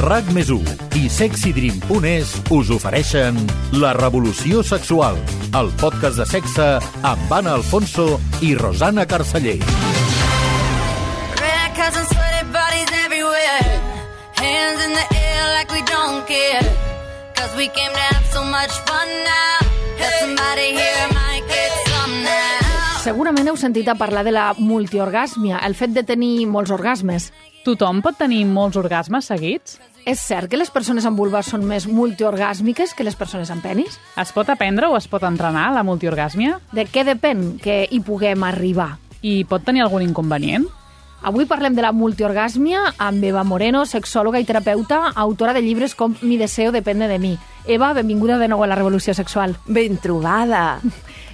RAC+1 i SexyDream.es us ofereixen La Revolució Sexual, el podcast de sexe amb Anna Alfonso i Rosana Carceller. Segurament heu sentit a parlar de la multiorgàsmia, el fet de tenir molts orgasmes. Tothom pot tenir molts orgasmes seguits? És cert que les persones amb vulva són més multiorgàsmiques que les persones amb penis? Es pot aprendre o es pot entrenar la multiorgàsmia? De què depèn que hi puguem arribar? I pot tenir algun inconvenient? Avui parlem de la multiorgàsmia amb Eva Moreno, sexòloga i terapeuta, autora de llibres com Mi deseo depende de mi. Eva, benvinguda de nou a la Revolució Sexual. Ben trobada!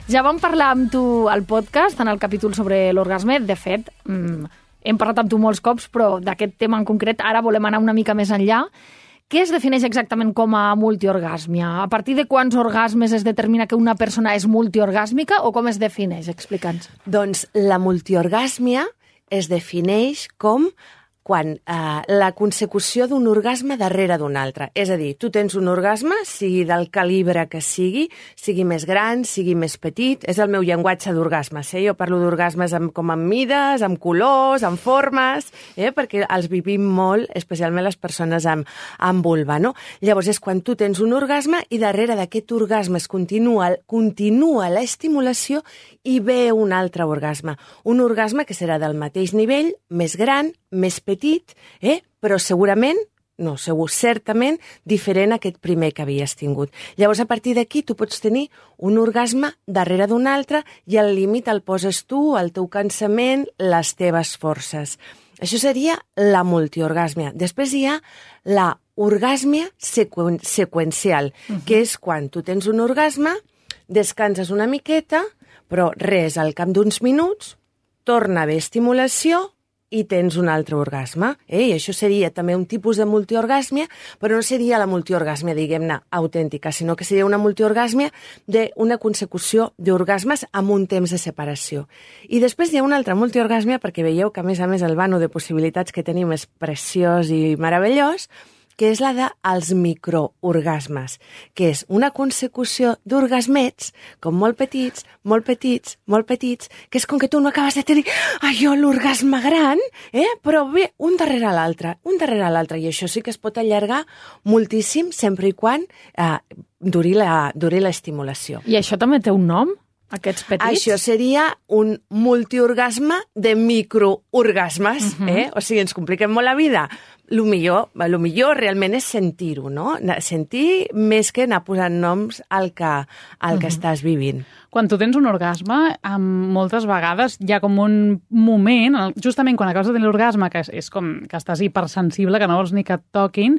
Ja vam parlar amb tu al podcast, en el capítol sobre l'orgasme. De fet, hem parlat amb tu molts cops, però d'aquest tema en concret ara volem anar una mica més enllà. Què es defineix exactament com a multiorgàsmia? A partir de quants orgasmes es determina que una persona és multiorgàsmica o com es defineix? Explica'ns. Doncs la multiorgàsmia es defineix com quan la consecució d'un orgasme darrere d'un altre. És a dir, tu tens un orgasme, sigui del calibre que sigui més gran, sigui més petit. És el meu llenguatge d'orgasmes. Jo parlo d'orgasmes com amb mides, amb colors, amb formes, perquè els vivim molt, especialment les persones amb vulva. No? Llavors és quan tu tens un orgasme i darrere d'aquest orgasme es continua l'estimulació i ve un altre orgasme. Un orgasme que serà del mateix nivell, més gran, més petit, però certament diferent a aquest primer que havies tingut. Llavors, a partir d'aquí, tu pots tenir un orgasme darrere d'un altre i al límit el poses tu, el teu cansament, les teves forces. Això seria la multiorgàsmia. Després hi ha la orgàsmia seqüencial, que és quan tu tens un orgasme, descanses una miqueta, però res, al cap d'uns minuts, torna a haver estimulació i tens un altre orgasme. I això seria també un tipus de multiorgàsmia, però no seria la multiorgàsmia, diguem-ne, autèntica, sinó que seria una multiorgàsmia d'una consecució d'orgasmes amb un temps de separació. I després hi ha una altra multiorgàsmia, perquè veieu que, a més, el vano de possibilitats que tenim és preciós i meravellós, que és la dels microorgasmes, que és una consecució d'orgasmets, com molt petits, que és com que tu no acabes de tenir l'orgasme gran, però bé, un darrere l'altre, i això sí que es pot allargar moltíssim, sempre i quan duri l'estimulació. I això també té un nom? Aquests petits? Això seria un multiorgasme de microorgasmes, O sigui, ens compliquem molt la vida. Lo millor realment és sentir-ho, no? Sentir més que anar posant noms al que estàs vivint. Quan tu tens un orgasme, moltes vegades hi ha com un moment, justament quan acabes de tenir l'orgasme, que és com que estàs hipersensible, que no vols ni que et toquin,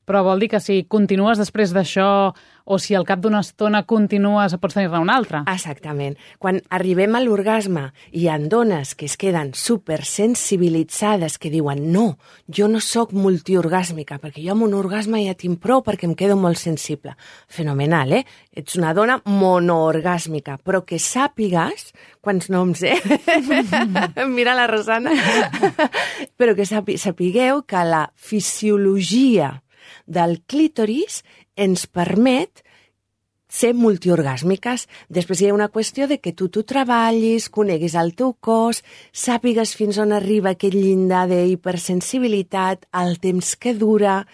però vol dir que si continues després d'això o si al cap d'una estona continues, pots tenir-ne un altre. Exactament. Quan arribem a l'orgasme i hi ha dones que es queden supersensibilitzades, que diuen no, jo no sóc multiorgàsmica, perquè jo amb un orgasme ja tinc prou perquè em quedo molt sensible. Fenomenal, Ets una dona monoorgàsmica, però que sàpigues, quants noms, Mira la Rosana. Però que sapigueu que la fisiologia del clítoris ens permet ser multiorgàsmiques. Després hi ha una qüestió de que tu treballis, coneguis el teu cos, sàpigues fins on arriba aquest llindar d'hipersensibilitat, el temps que dura,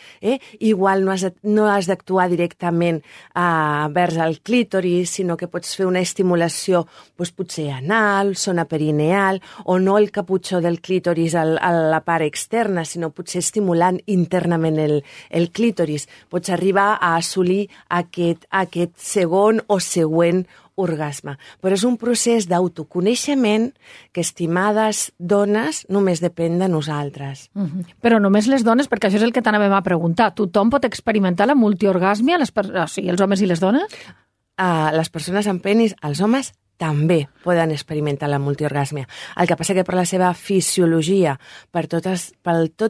Igual no has d'actuar directament vers el clítoris, sinó que pots fer una estimulació potser anal, zona perineal, o no el caputxó del clítoris a la part externa, sinó potser estimulant internament el clítoris. Pots arribar a assolir aquest segon o següent orgasme. Però és un procés d'autoconeixement que, estimades dones, només depèn de nosaltres. Però només les dones, perquè això és el que t'anàvem a preguntar. Tothom pot experimentar la multiorgàsmia, o sigui, els homes i les dones? Les persones amb penis, els homes també poden experimentar la multiorgàsmia. El que passa que per la seva fisiologia, per tot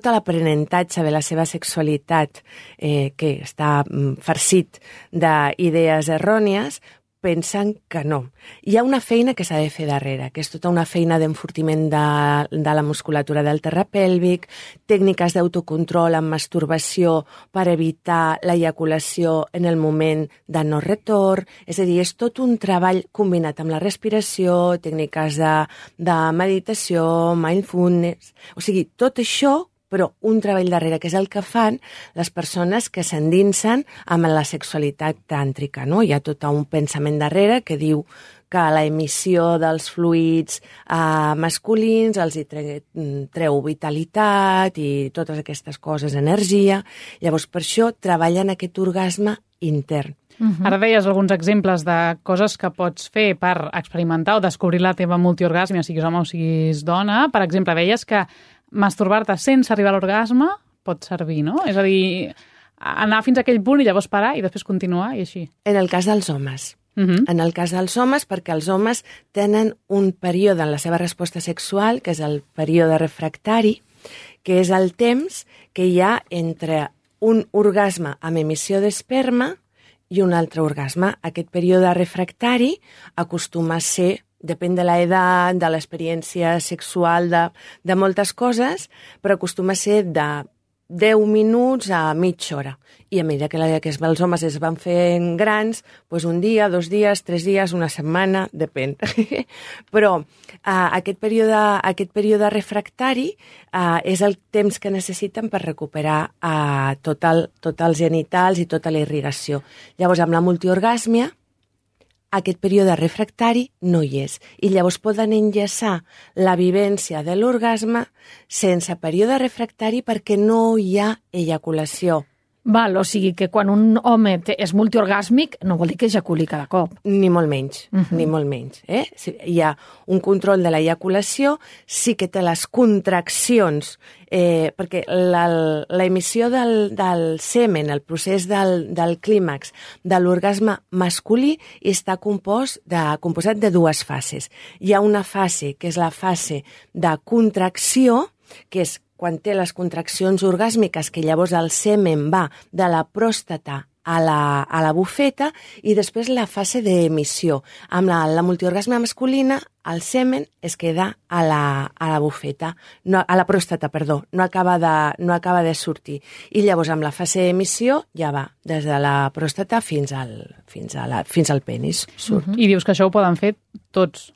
l'aprenentatge de la seva sexualitat, que està farcit d'idees errònies, pensen que no. Hi ha una feina que s'ha de fer darrere, que és tota una feina d'enfortiment de la musculatura del terra pèlvic, tècniques d'autocontrol amb masturbació per evitar l'eyaculació en el moment de no retorn, és a dir, és tot un treball combinat amb la respiració, tècniques de meditació, mindfulness, o sigui, tot això, però un treball darrere, que és el que fan les persones que s'endinsen amb la sexualitat tàntrica, no? Hi ha tot un pensament darrere que diu que la emissió dels fluids masculins els hi treu vitalitat i totes aquestes coses, energia. Llavors, per això treballen aquest orgasme intern. Ara deies alguns exemples de coses que pots fer per experimentar o descobrir la teva multiorgàsmia, siguis home o siguis dona. Per exemple, deies que masturbar-te sense arribar a l'orgasme pot servir, no? És a dir, anar fins a aquell punt i llavors parar i després continuar i així. En el cas dels homes. En el cas dels homes, perquè els homes tenen un període en la seva resposta sexual, que és el període refractari, que és el temps que hi ha entre un orgasme amb emissió d'esperma i un altre orgasme. Aquest període refractari acostuma a ser, depèn de l'edat, de l'experiència sexual, de moltes coses, però acostuma a ser de 10 minuts a mitja hora. I a mesura que els homes es van fent grans, doncs un dia, 2 dies, 3 dies, una setmana, depèn. Però aquest període refractari és el temps que necessiten per recuperar tots els genitals i tota la irrigació. Llavors, amb la multiorgàsmia, aquest període refractari no hi és. I llavors poden enllaçar la vivència de l'orgasme sense període refractari perquè no hi ha eyaculació. Val, o sigui que quan un home és multiorgàsmic no vol dir que ejaculi cada cop. Ni molt menys, ni molt menys. Hi ha un control de l'eyaculació, sí que té les contraccions, perquè l'emissió del semen, el procés del clímax de l'orgasme masculí està composat de 2 fases. Hi ha una fase que és la fase de contracció, que és quan té les contraccions orgàsmiques, que llavors el semen va de la pròstata a la bufeta, i després la fase d'emissió. Amb la multiorgasme masculina, el semen es queda a la bufeta, a la pròstata, perdó, no acaba de sortir. I llavors amb la fase d'emissió ja va des de la pròstata fins al penis. I dius que això ho poden fer tots.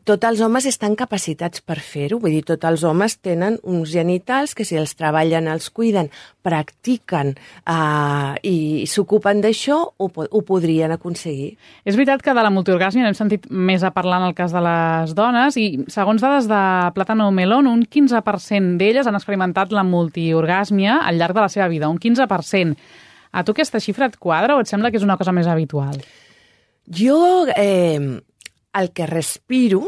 Tots els homes estan capacitats per fer-ho, vull dir, tots els homes tenen uns genitals que si els treballen, els cuiden, practiquen i s'ocupen d'això, ho podrien aconseguir. És veritat que de la multiorgàsmia n'hem sentit més a parlar en el cas de les dones i segons dades de Plátano Melón, un 15% d'elles han experimentat la multiorgàsmia al llarg de la seva vida, un 15%. A tu aquesta xifra et quadra o et sembla que és una cosa més habitual? Jo el que respiro,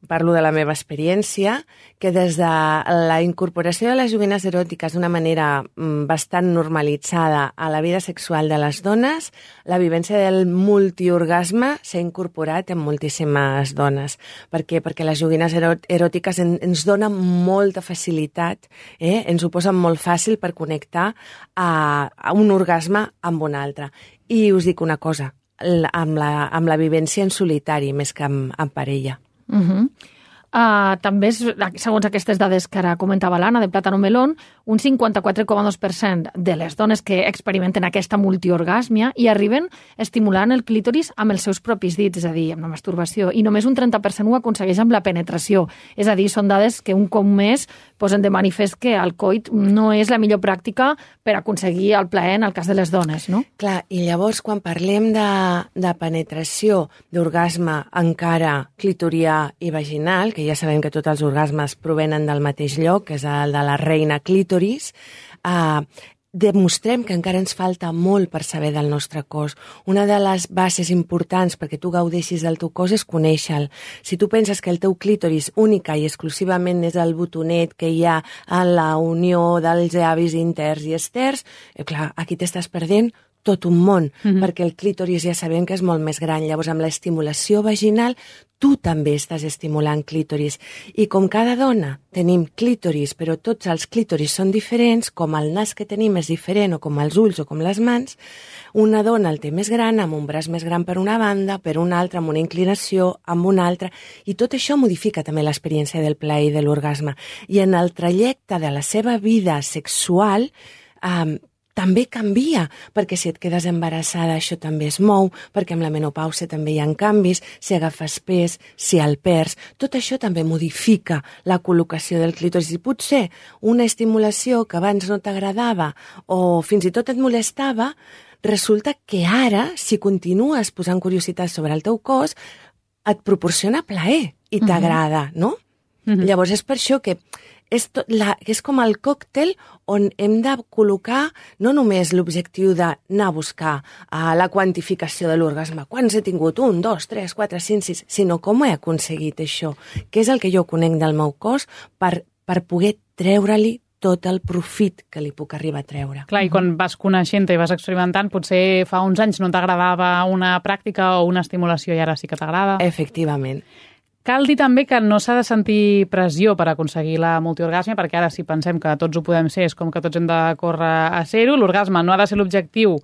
parlo de la meva experiència, que des de la incorporació de les joguines eròtiques d'una manera bastant normalitzada a la vida sexual de les dones, la vivència del multiorgasme s'ha incorporat en moltíssimes dones. Per què? Perquè les joguines eròtiques ens donen molta facilitat, ens ho posen molt fàcil per connectar a un orgasme amb un altre. I us dic una cosa, amb la vivència en solitari més que en parella. També, segons aquestes dades que ara comentava l'Anna, de Plátano Melón, un 54,2% de les dones que experimenten aquesta multiorgàsmia i arriben estimulant el clítoris amb els seus propis dits, és a dir, amb la masturbació, i només un 30% ho aconsegueix amb la penetració. És a dir, són dades que un cop més posen de manifest que el coit no és la millor pràctica per aconseguir el plaer en el cas de les dones, no? Clar, i llavors quan parlem de penetració, d'orgasme encara clitorià i vaginal, que ja sabem que tots els orgasmes provenen del mateix lloc, que és el de la reina clítoris, demostrem que encara ens falta molt per saber del nostre cos. Una de les bases importants perquè tu gaudeixis del teu cos és conèixer-lo. Si tu penses que el teu clítoris única i exclusivament és el botonet que hi ha en la unió dels llavis interns i externs, clar, aquí t'estàs perdent tot un món, perquè el clítoris ja sabem que és molt més gran. Llavors, amb l'estimulació vaginal, tu també estàs estimulant clítoris. I com cada dona tenim clítoris, però tots els clítoris són diferents, com el nas que tenim és diferent, o com els ulls o com les mans, una dona el té més gran, amb un braç més gran per una banda, per una altra, amb una inclinació, amb una altra, i tot això modifica també l'experiència del plaer i de l'orgasme. I en el trajecte de la seva vida sexual també canvia, perquè si et quedes embarassada això també es mou, perquè amb la menopausa també hi ha canvis, si agafes pes, si el perds, tot això també modifica la col·locació del clítoris. I potser una estimulació que abans no t'agradava o fins i tot et molestava, resulta que ara, si continues posant curiositat sobre el teu cos, et proporciona plaer i t'agrada, no? Llavors és per això que és com el còctel on hem de col·locar no només l'objectiu d'anar a buscar la quantificació de l'orgasme, quants he tingut, 1, 2, 3, 4, 5, 6, sinó com he aconseguit això, què és el que jo conec del meu cos per poder treure-li tot el profit que li puc arribar a treure. Clar, i quan vas coneixent-te i vas experimentant, potser fa uns anys no t'agradava una pràctica o una estimulació i ara sí que t'agrada. Efectivament. Cal dir també que no s'ha de sentir pressió per aconseguir la multiorgàsmia, perquè ara si pensem que tots ho podem ser, és com que tots hem de córrer a ser-ho. L'orgasme no ha de ser l'objectiu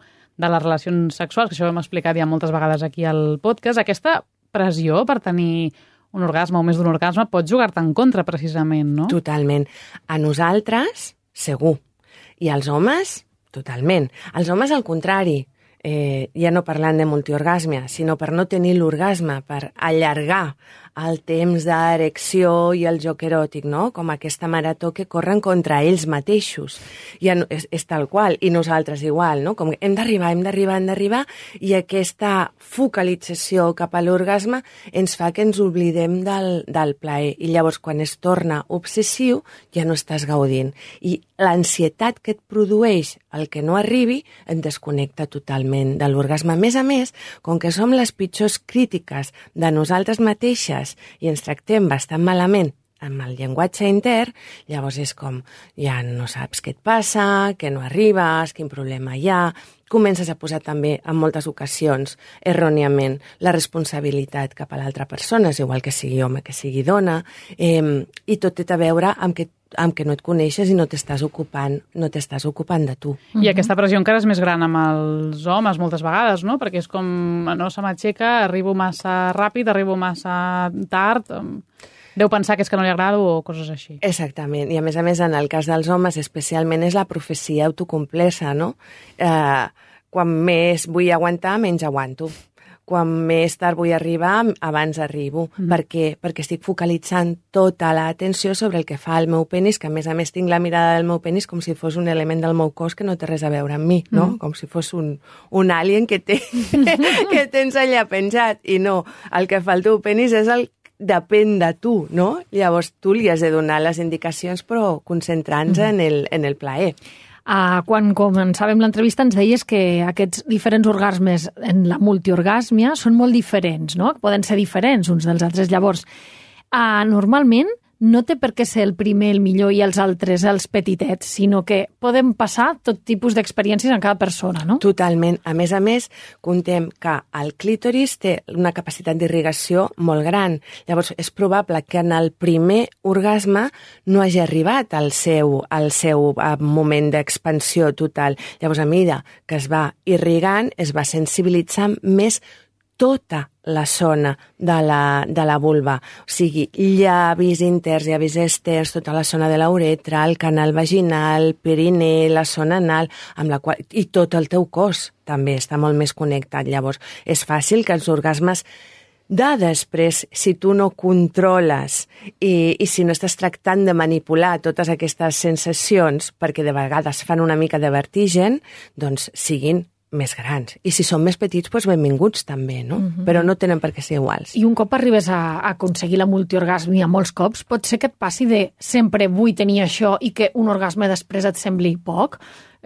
de les relacions sexuals, que això ho hem explicat ja moltes vegades aquí al podcast. Aquesta pressió per tenir un orgasme o més d'un orgasme pot jugar-te en contra, precisament, no? Totalment. A nosaltres, segur. I als homes, totalment. Els homes, al contrari. Ja no parlant de multiorgàsmia, sinó per no tenir l'orgasme, per allargar el temps d'erecció i el joc eròtic, no? Com aquesta marató que corren contra ells mateixos. Ja no, és tal qual, i nosaltres igual, no? Com que hem d'arribar, i aquesta focalització cap a l'orgasme ens fa que ens oblidem del plaer. I llavors, quan es torna obsessiu, ja no estàs gaudint. I l'ansietat que et produeix el que no arribi et desconnecta totalment de l'orgasme. A més, com que som les pitjors crítiques de nosaltres mateixes i ens tractem bastant malament amb el llenguatge intern, llavors és com, ja no saps què et passa, que no arribes, quin problema hi ha. Comences a posar també, en moltes ocasions, erròniament, la responsabilitat cap a l'altra persona, és igual que sigui home, que sigui dona, i tot té a veure amb que no et coneixes i no t'estàs ocupant de tu. I aquesta pressió encara és més gran amb els homes moltes vegades, no? Perquè és com, no se m'aixeca, arribo massa ràpid, arribo massa tard, deu pensar que és que no li agrado o coses així. Exactament, i a més, en el cas dels homes especialment és la profecia autocomplesa, no? Quan més vull aguantar, menys aguanto. Quan més tard vull arribar, abans arribo. Per què? Perquè estic focalitzant tota l'atenció sobre el que fa el meu penis, que a més tinc la mirada del meu penis com si fos un element del meu cos que no té res a veure amb mi, no? Com si fos un alien que tens allà penjat. I no, el que fa el teu penis és depèn de tu, no? Llavors tu li has de donar les indicacions, però concentrant-se en el plaer. Quan començàvem l'entrevista ens deies que aquests diferents orgasmes en la multiorgàsmia són molt diferents, no? Poden ser diferents uns dels altres. Llavors, normalment no té per què ser el primer el millor i els altres els petitets, sinó que podem passar tot tipus d'experiències en cada persona, no? Totalment. A més, contem que el clítoris té una capacitat d'irrigació molt gran. Llavors, és probable que en el primer orgasme no hagi arribat al seu moment d'expansió total. Llavors, a mesura que es va irrigant, es va sensibilitzant més tota la zona de la vulva, o sigui, llavis interns, llavis externs, tota la zona de la uretra, el canal vaginal, perineu, la zona anal, amb la qual, i tot el teu cos també està molt més connectat. Llavors, és fàcil que els orgasmes després, si tu no controles i si no estàs tractant de manipular totes aquestes sensacions, perquè de vegades fan una mica de vertigen, doncs siguin més grans. I si són més petits, doncs benvinguts també, no? Però no tenen per què ser iguals. I un cop arribes a aconseguir la multiorgàsmia molts cops, pot ser que et passi de sempre vull tenir això i que un orgasme després et sembli poc?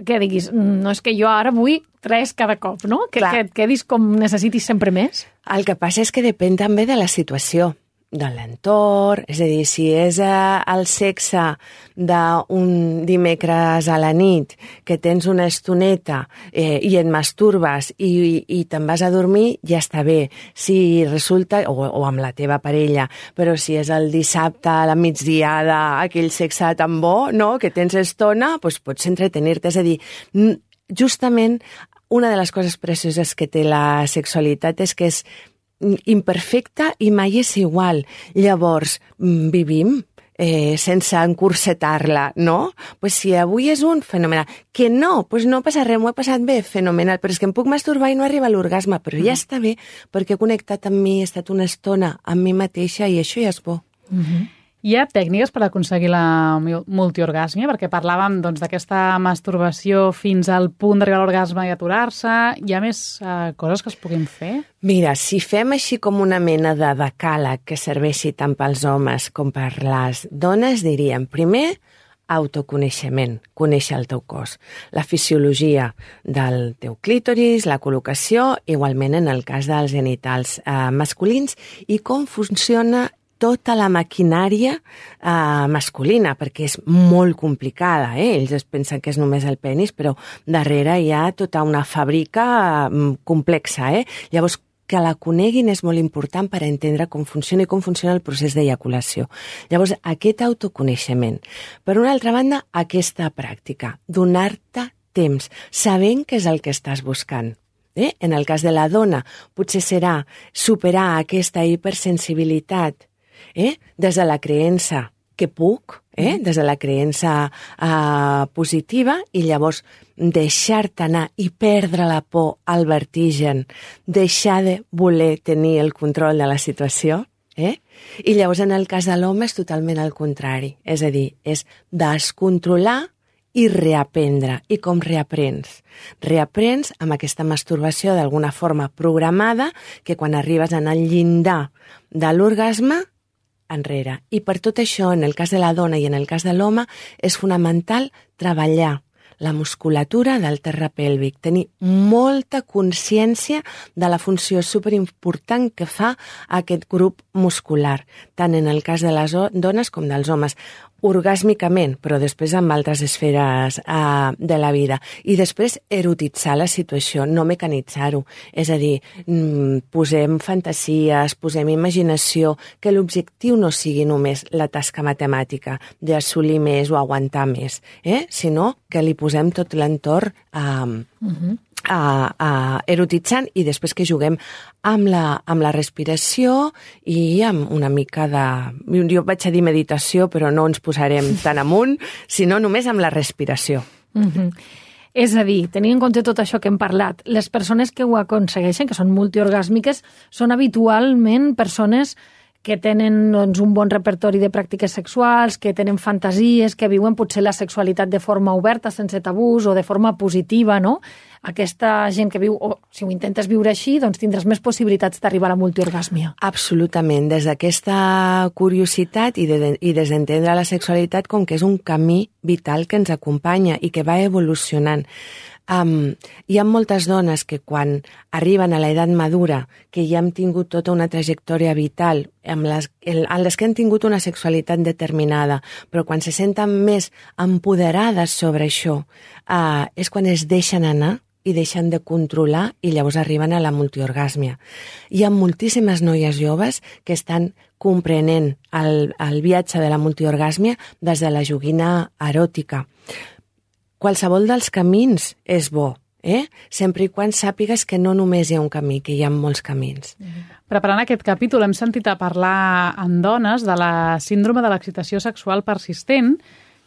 Que diguis, no és que jo ara vull 3 cada cop, no? Que et quedis com necessitis sempre més? El que passa és que depèn també de la situació. de l'entorn, és a dir, si és el sexe d'un dimecres a la nit que tens una estoneta i et masturbes i te'n vas a dormir, ja està bé. Si resulta, o amb la teva parella, però si és el dissabte a la migdiada, aquell sexe tan bo, no?, que tens estona, doncs pots entretenir-te. És a dir, justament una de les coses precioses que té la sexualitat és que és imperfecta i mai és igual. Llavors, vivim sense encursetar-la, no? Pues si avui és un, fenomenal. Que no, pues no passa res, m'ho he passat bé, fenomenal. Però és que em puc masturbar i no arriba a l'orgasme, però ja està bé, perquè he connectat amb mi, he estat una estona amb mi mateixa i això ja és bo. Hi ha tècniques per aconseguir la multiorgàsmia? Perquè parlàvem d'aquesta masturbació fins al punt d'arribar a l'orgasme i aturar-se. Hi ha més coses que es puguin fer? Mira, si fem així com una mena de decàleg que serveixi tant pels homes com per les dones, diríem, primer, autoconeixement, conèixer el teu cos, la fisiologia del teu clítoris, la col·locació, igualment en el cas dels genitals masculins, i com funciona tota la maquinària masculina, perquè és molt complicada. Ells es pensen que és només el penis, però darrere hi ha tota una fàbrica complexa. Llavors, que la coneguin és molt important per entendre com funciona i com funciona el procés d'eyaculació. Llavors, aquest autoconeixement. Per una altra banda, aquesta pràctica, donar-te temps, sabent què és el que estàs buscant. En el cas de la dona, potser serà superar aquesta hipersensibilitat des de la creença que puc, des de la creença positiva, i llavors deixar-te anar i perdre la por, el vertigen, deixar de voler tenir el control de la situació. I llavors en el cas de l'home és totalment el contrari, és a dir, és descontrolar i reaprendre. I com reaprens? Reaprens amb aquesta masturbació d'alguna forma programada que quan arribes en el llindar de l'orgasme enrere. I per tot això, en el cas de la dona i en el cas de l'home, és fonamental treballar la musculatura del terra pèlvic, tenir molta consciència de la funció superimportant que fa aquest grup muscular, tant en el cas de les dones com dels homes, orgàsmicament, però després amb altres esferes de la vida. I després erotitzar la situació, no mecanitzar-ho. És a dir, posem fantasies, posem imaginació, que l'objectiu no sigui només la tasca matemàtica d'assolir més o aguantar més, sinó que li posem tot l'entorn erotitzant, i després que juguem amb la respiració i amb una mica de... Jo vaig a dir meditació, però no ens posarem tan amunt, sinó només amb la respiració. És a dir, tenint en compte tot això que hem parlat, les persones que ho aconsegueixen, que són multiorgàsmiques, són habitualment persones que tenen un bon repertori de pràctiques sexuals, que tenen fantasies, que viuen potser la sexualitat de forma oberta, sense tabús, o de forma positiva, no? Aquesta gent que viu, o si ho intentes viure així, doncs tindràs més possibilitats d'arribar a la multiorgàsmia. Absolutament. Des d'aquesta curiositat i desentendre la sexualitat com que és un camí vital que ens acompanya i que va evolucionant. Hi ha moltes dones que quan arriben a l'edat madura, que ja han tingut tota una trajectòria vital, en les que han tingut una sexualitat determinada, però quan se senten més empoderades sobre això, és quan es deixen anar i deixen de controlar i llavors arriben a la multiorgàsmia. Hi ha moltíssimes noies joves que estan comprenent el viatge de la multiorgàsmia des de la joguina eròtica. Qualsevol dels camins és bo, sempre i quan sàpigues que no només hi ha un camí, que hi ha molts camins. Preparant aquest capítol hem sentit a parlar amb dones de la síndrome de l'excitació sexual persistent,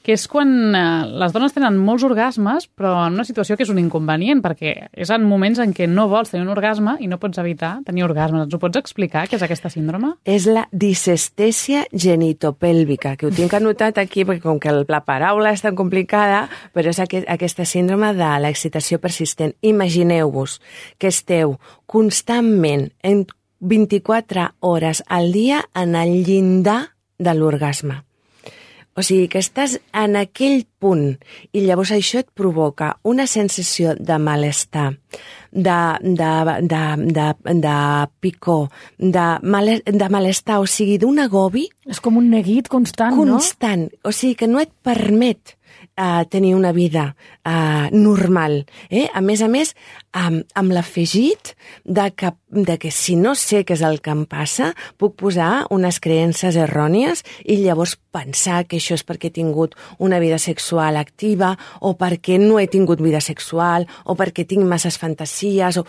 que és quan les dones tenen molts orgasmes, però en una situació que és un inconvenient, perquè és en moments en què no vols tenir un orgasme i no pots evitar tenir orgasmes. Ens ho pots explicar, què és aquesta síndrome? És la disestèsia genitopèlvica, que ho tinc anotat aquí, perquè com que la paraula és tan complicada, però és aquesta síndrome de l'excitació persistent. Imagineu-vos que esteu constantment en 24 hores al dia en el llindar de l'orgasme. O sigui, que estàs en aquell punt i llavors això et provoca una sensació de malestar, de picor, de malestar, o sigui, d'un agobi. És com un neguit constant, no? Constant. O sigui, que no et permet tenir una vida normal. A més, amb l'afegit de que si no sé què és el que em passa, puc posar unes creences errònies i llavors pensar que això és perquè he tingut una vida sexual activa o perquè no he tingut vida sexual o perquè tinc masses fantasies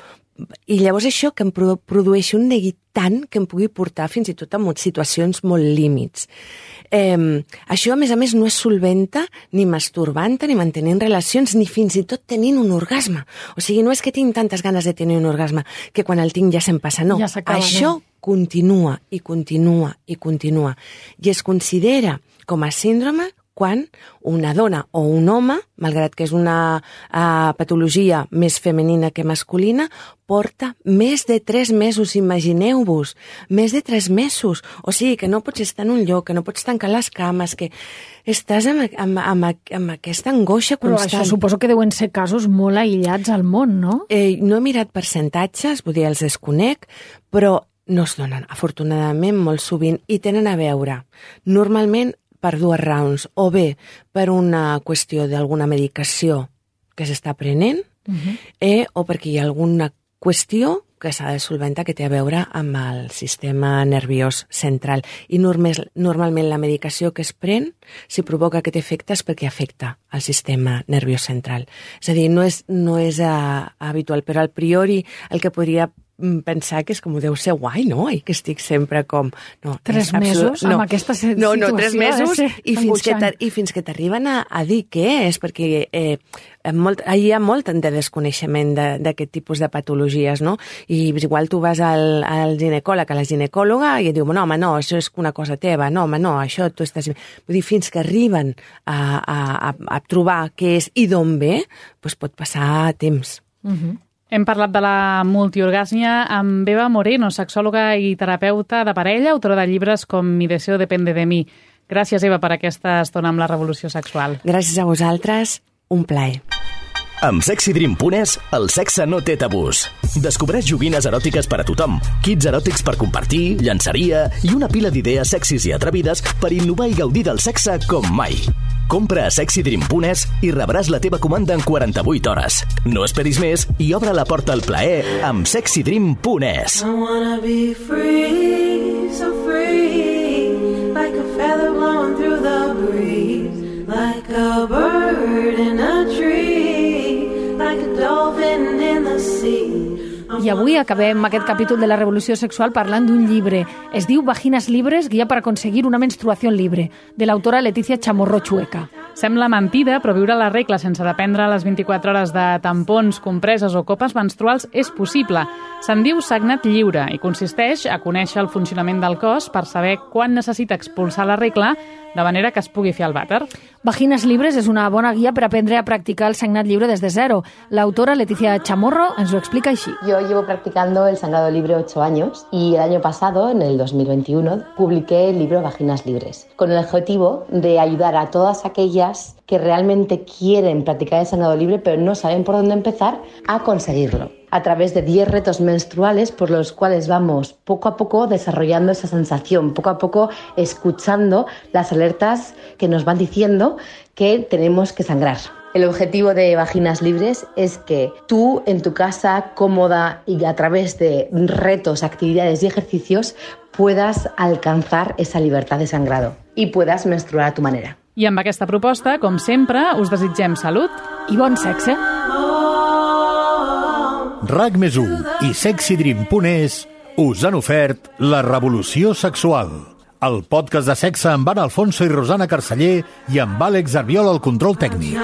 i llavors això que em produeixi un neguit tant que em pugui portar fins i tot a situacions molt límits. Això, a més, no és solventa, ni masturbant, ni mantenint relacions, ni fins i tot tenint un orgasme. O sigui, no és que tinc tantes ganes de tenir un orgasme que quan el tinc ja se'm passa, no. Ja s'acaba, això continua i continua i continua. I es considera com a síndrome quan una dona o un home, malgrat que és una patologia més femenina que masculina, porta més de 3 mesos, imagineu-vos, més de 3 mesos. O sigui, que no pots estar en un lloc, que no pots tancar les cames, que estàs amb aquesta angoixa constant. Però això suposo que deuen ser casos molt aïllats al món, no? No he mirat percentatges, vull dir, els desconec, però no es donen, afortunadament, molt sovint, i tenen a veure, normalment, per 2 raons, o bé per una qüestió d'alguna medicació que s'està prenent, o perquè hi ha alguna qüestió que s'ha de solventar que té a veure amb el sistema nerviós central. I normalment la medicació que es pren, si provoca aquest efecte, és perquè afecta el sistema nerviós central. És a dir, no és habitual, però al priori el que podria pensar que és com deu ser guai, no? I que estic sempre com... 3 mesos amb aquesta situació. No, 3 mesos i fins que t'arriben a dir què és, perquè hi ha molt de desconeixement d'aquest tipus de patologies, no? I igual tu vas al ginecòleg, a la ginecòloga, i et diu, no, home, no, això és una cosa teva, no, home, no, això tu estàs... Vull dir, fins que arriben a trobar què és i d'on ve, doncs pot passar temps. Hem parlat de la multiorgàsmia amb Eva Moreno, sexòloga i terapeuta de parella, autora de llibres com Mi deseo depende de mí. Gràcies, Eva, per aquesta estona amb la revolució sexual. Gràcies a vosaltres, un plaer. Amb SexyDream.es, el sexe no té tabús. Descobreix joguines eròtiques per a tothom, kits eròtics per compartir, llançaria i una pila d'idees sexis i atrevides per innovar i gaudir del sexe com mai. Compra a SexyDream.es i rebràs la teva comanda en 48 hores. No esperis més i obre la porta al plaer amb SexyDream.es. I wanna be free, so free, like a feather blowing through the breeze, like a bird in a tree, like a dolphin in the sea. I avui acabem aquest capítol de la revolució sexual parlant d'un llibre. Es diu Vaginas libres, guia per aconseguir una menstruació libre, de l'autora Leticia Chamorro Chueca. Sembla mentida, però viure la regla sense dependre les 24 hores de tampons, compreses o copes menstruals és possible. Se'n diu sagnat lliure i consisteix a conèixer el funcionament del cos per saber quan necessita expulsar la regla de manera que es pugui fer el vàter. Vaginas libres és una bona guia per aprendre a practicar el sagnat lliure des de zero. L'autora Leticia Chamorro ens ho explica així. Yo llevo practicando el sangrado libre 8 años y el año pasado, en el 2021, publiqué el libro Vaginas libres, con el objetivo de ayudar a todas aquellas que realmente quieren practicar el sangrado libre pero no saben por dónde empezar a conseguirlo. A través de 10 retos menstruales por los cuales vamos poco a poco desarrollando esa sensación, poco a poco escuchando las alertas que nos van diciendo que tenemos que sangrar. El objetivo de Vaginas Libres es que tú en tu casa, cómoda y a través de retos, actividades y ejercicios puedas alcanzar esa libertad de sangrado y puedas menstruar a tu manera. I amb aquesta proposta, com sempre, us desitgem salut i bon sexe. RAC+1 i SexyDream.es us han ofert La revolució sexual, el podcast de sexe amb Anna Alfonso i Rosana Carceller i amb Àlex Arbiol al control tècnic.